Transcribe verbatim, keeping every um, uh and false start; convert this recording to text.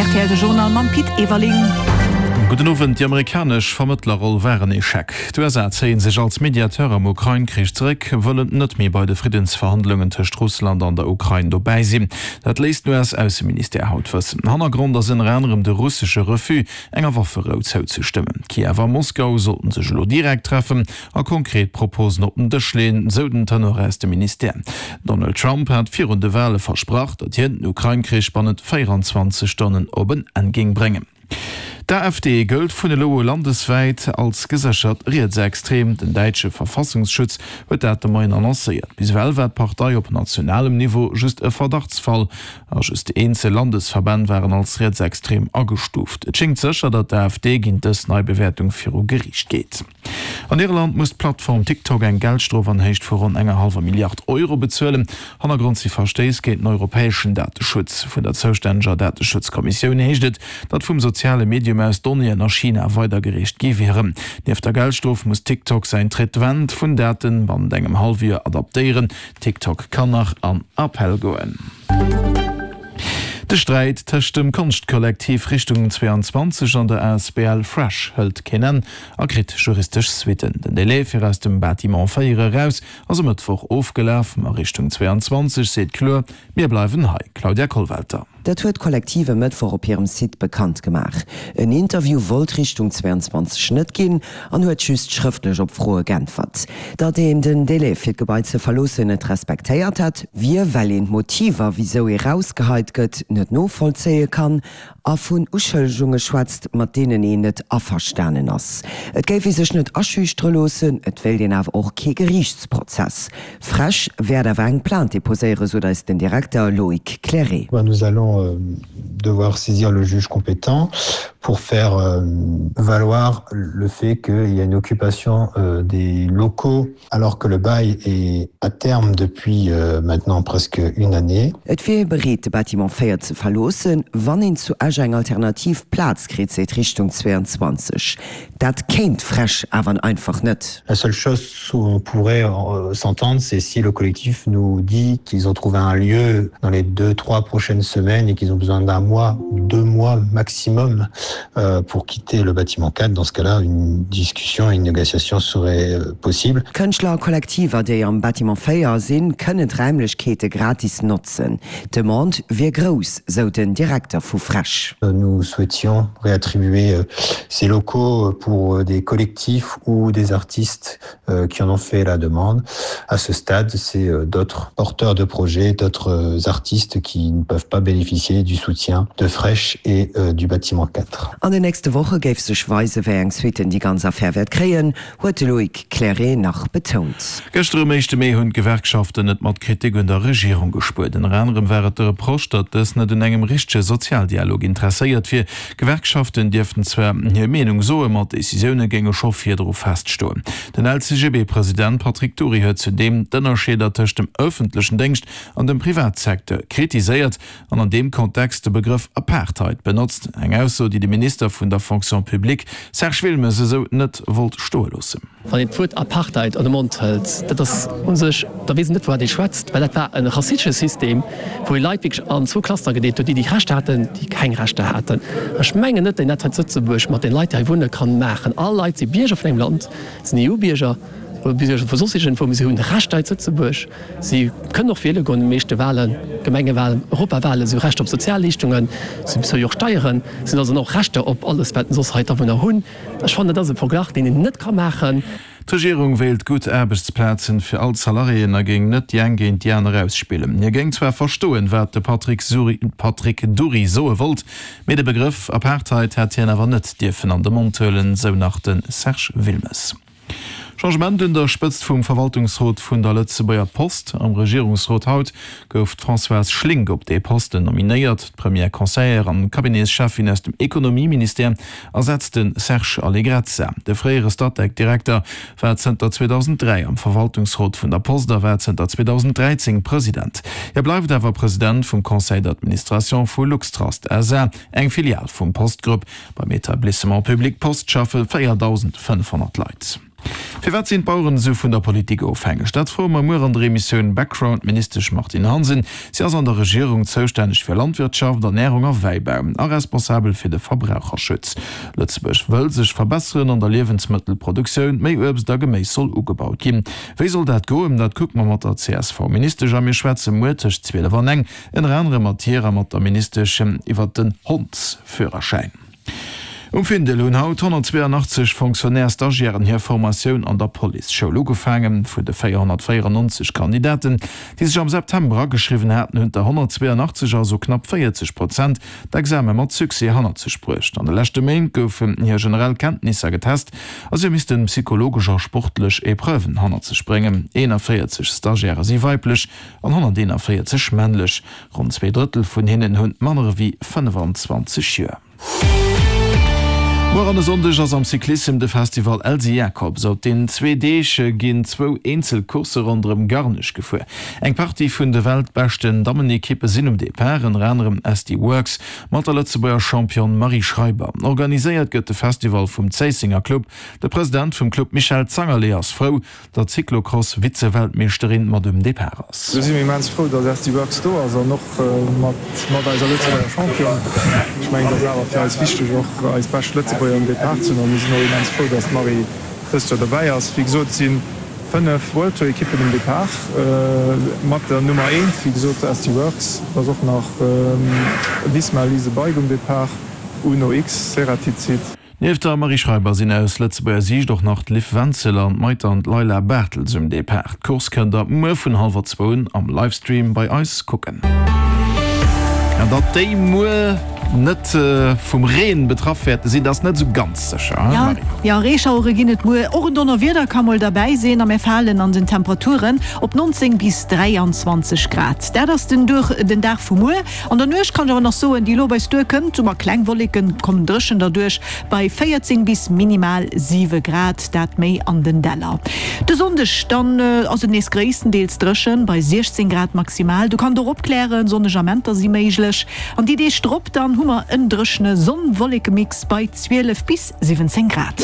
R T L de Journal mam Pit Everling. Gudden Owend, Déi amerikanesch Vermëttlerroll war en Echec. D'U S A zéie sech als Mediateur am Ukrain-Krich zeréck, wëllen net méi bei de Friddensverhandlungen tëscht Russland an der Ukrain dobäi sinn. Dat léisst den U S-Ausseministère haut wëssen. Hannergrond ass ënner anerem de russesche Refus, enger Wafferou zouzestëmmen. Kiew a Moskau sollten sech elo direkt treffen a konkret Proposen op den Dësch leeën, sou den Tenor aus dem Ministère. Donald Trump hat virun de Wale versprach, datt hien den Ukrain-Krich bannent véierenzwanzeg Stonnen op en Enn géing bréngen. D'A F D gëllt vun elo u landeswäit als geséchert rietsextrem. Den däitsche Verfassungsschutz huet dat de Moien annoncéiert. Bis ewell war d'Partei op nationalem Niveau just e Verdachtsfall a just eenzel Landesverbänn waren als rietsextrem agestuuft. Et schéngt sécher, datt d'A F D géint dës nei Bewäertung viru Geriicht geet. An Irland muss d'Plattform TikTok eng Geldstrof an Héicht vu ronn enger hallwer Milliard Euro bezuelen. Hannergrond si Verstéiss géint den europäeschen Dateschutz. Vun der zoustänneger Dateschutzkommissioun heescht et, datt vum soziale Medium aus Donnéeën a China weidergereecht gi wieren. Nieft der Geldstrof muss TikTok säin Traitement vun Daten bannent engem Hallefjoer adaptéieren. TikTok kann nach an Appell goen. De Sträit tëscht dem Konschtkollektiv Richtung zwéianzwanzeg an der A S B L Fresh hëlt keen Enn a kritt juristesch Suitten. Den Delai fir aus dem Bâtiment véier eraus ass e Mëttwoch ofgelaf, ma Richtung zwéianzwanzeg seet kloer, Mir bleiwen hei. Claudia Kollwelter. Dat huet d'Kollektiv e Mëttwoch op hirem Site bekannt gemaach. En Interview wollt Richtung zwéianzwanzeg net ginn an huet just schrëftlech op Froe geäntwert. Datt een den Delai fir d'Gebai ze verloossen net respektéiert hätt, wier well een d'Motiver, wisou ee rausgeheit gëtt, net novollzéie kann a vun Uschëllegunge schwätzt, mat deenen een net averstanen ass. Et géif ee sech net aschüchtere loossen, et wéilt een awer och kee Geriichtsprozess. Fresh wäert awer eng Plainte deposéieren, sot eis den Direkter Loïc Clairet. Nous allons devoir saisir le juge compétent pour faire valoir le fait qu'il y a une occupation des locaux alors que le bail est à terme depuis maintenant presque une année. Et wier ee bereet, de Bâtiment véier ze verloossen, wann een zu Esch eng alternativ Plaz kritt, seet Richtung zwéianzwanzeg. Dat kéint Fresh awer einfach net. La seule chose où on pourrait s'entendre, c'est si le collectif nous dit qu'ils ont trouvé un lieu dans les deux, trois prochaines semaines et qu'ils ont besoin d'un mois, deux mois maximum pour quitter le bâtiment quatre. Dans ce cas-là, une discussion, une négociation serait possible. Kënschtlerkollektiver, déi am Bâtiment véier sinn, kënnen d'Raimlechkeete gratis notzen. D'Demande wier grouss, sou den Direkter vu Fresh. Nous souhaitions réattribuer ces locaux pour des collectifs ou des artistes qui en ont fait la demande. À ce stade, c'est d'autres porteurs de projets, d'autres artistes qui ne peuvent pas bénéficier du soutien de Fresh et du bâtiment quatre. An den nächste Woche géif sech weisen, wéi eng Suitten déi ganz Affär wäert kréien, huet de Loïc Clairet nach betount. Gëschter um éischte Mee hunn d'Gewerkschaften net mat Kritik un der Regierung gespuert. Ënner anerem war et de Reproche, datt dës net un engem richtege Sozialdialog interesséiert wier. Gewerkschaften dierften zwar hir Meenung soen, ma d'Decisioune géinge scho virdru feststoen. Den L C G B-President Patrick Dury huet zudeem d'Ënnerscheeder tëscht dem ëffentlechen Déngscht an dem Privatsecteur kritiséiert an an deem Kontext de Begrëff Apartheid benotzt. Eng Ausso, déi de Minister vun der Fonction publique Serge Wilmes esou net wollt stoe loossen. Wann een d'Wuert Apartheid an de Mond hëlt, dat ass u sech, da weess een net, wouat ee schwätzt, well dat war e rassistesche System, wou ee Leit wierklech an zwou Cluster gedeelt huet, déi, déi Rechter haten, déi keng Rechter haten. Ech mengen net, datt een dat hei zu Lëtzebuerg mat den Leit, déi hei wunne kann maachen. All Leit si Bierger vun engem Land, sinn E U-Bierger oder Bierger vu soss iergendwou, mee si hunn Rechter hei zu Lëtzebuerg. Si kënnen och wiele goen, déi meeschte Wahlen, Gemengewahlen, Europawahlen, si hu Rechter op Sozialleeschtungen, si bezuele jo och Steieren, si hunn also och Rechter op alles, wat soss hei d'Awunner hunn. Ech fannen, dat ass e Verglach, deen een net ka maachen. D'Regierung wéilt gutt Aarbechtsplazen fir all d'Salariéen a géing net déi eng géint déi aner ausspillen. Hie géing zwar verstoen, wat de Patrick Suri, Patrick Dury soe wollt, mee de Begrëff Apartheid hätt hien awer net dierfen an de Mond huelen, sou nach de Serge Wilmes. Changement un der Spëtzt vum Verwaltungsrot vun der Lëtzebuerger Post. Am Regierungsrot haut gouf d'Françoise Schlink op dee Posten nominéiert. D'Première Conseillère an Cabinetscheffin aus dem Ekonomieministère ersetzt de Serge Allegrezza. De fréiere Statec-Direkter war zënter zweedausenddräi am Verwaltungsrot vun der Post a war zënter zweedausenddräizéng President. Hie bleift awer President vum Conseil d'administration vu LuxTrust S A, eng Filial vum Postgrupp. Beim Etablissement public Post schaffe véierdausendfënnefhonnert Leit. Firwat sinn d'Baueren esou vun der Politik ofhängeg? Dat froe mer muer an der Emissioun Background d'Ministesch Martine Hansen. Si ass an der Regierung zoustänneg fir Landwirtschaft, Ernärung a Wäibau a responsabel fir de Verbraucherschutz. Lëtzebuerg wëll sech verbesseren an der Liewensmëttelproduktioun, méi Uebst a Geméis soll ugebaut ginn. Wéi soll dat goen? Dat kucke mer mat der C S V-Ministesch a mir schwätze muer tëscht zwielef an eng ënner anerem mat hir a mat der Ministesch iwwer den Hondsführerschäin. Um Findel hunn haut honnertzweeanachtzeg Fonctionnaire-Stagiairen hir Formatioun an der Policeschoul ugefaangen. Vun de véierhonnertvéierennonzeg Kandidaten, déi sech am September ageschriwwen haten, hunn der honnertzweeanachtzeg, also knapp véierzeg Prozent, d'Exame mat Succès hannert sech bruecht. An de leschte Méint goufen hir generell Kenntnisser getest a si hu misste psychologesch a sportlech Epreuven hannert sech bréngen. Eenavéierzeg Stagiairë si weiblech an honnerteenavéierzeg männlech. Ronn zwee Drëttel vun hinnen hunn manner ewéi fënnefenzwanzeg Joer. Muer an e Sonndeg ass am Cyclissem de Festival Elsy Jacobs. Op den zwee Deeg ginn zwou eenzel Coursse ronderëm Garnech gefuer. Eng Partie vun de weltbeschten Dammenekippe sinn um Depart, ënner anerem S D Worx mat der Lëtzebuerger Championne Marie Schreiber. Organiséiert gëtt de Festival vum Zéissenger Club. De President vum Club Michel Zangerlé ass frou, datt d'Cyclocross-Vize-Weltmeeschterin mat um Depart ass. Do si mir immens frou, datt S D Worx do ass an och mat mat eiser Lëtzebuerger Championne. Ech mengen, dat ass awer fir eis wichteg, och eis bescht Lëtzebuerger um Depart ze hunn. A mir sinn och immens frou, datt d'Marie dëst Joer dobäi ass. Wéi gesot, si fënnef World Tour Ekippen um Depart mat der Nummer eent, wéi gesot S D Worx. Et ass och nach Visma Lease a Bike um Depart, Uno X, Ceratizit. Nieft der Marie Schreiber sinn aus Lëtzebuerger Siicht och nach d'Liv Wenzel an d'Maite an d'Layla Bartels um Depart. D'Course kënnt der muer vun hallwer zwou un am Livestream bei eis kucken. An datt déi muer net vum Reen betraff wäerte sinn, dat ass net esou ganz sécher, hein Ja, Marie? ja, Reeschauere ginn et muer, och en Donnerwieder ka mol derbäi sinn a mir falen an den Temperaturen op neunzéng bis dräianzwanzeg Grad. Dat ass den duerch den Dag vu muer. An der Nuecht kann ech awer nach soen, déi elo bei eis duerkënnt, hu mer kleng Wolleken, kommen dréchen derduerch bei véierzéng bis minimal siwe Grad, dat méi an den Däller. De Sonndeg dann ass et nees gréisstendeels dréchen bei siechzéng Grad maximal. Do kann et och opklären, sonneg Amenter si méiglech. An déi Deeg drop dann hu mer en dréchene Sonn-Wolleke-Mix bei zwielef bis siwwenzéng Grad.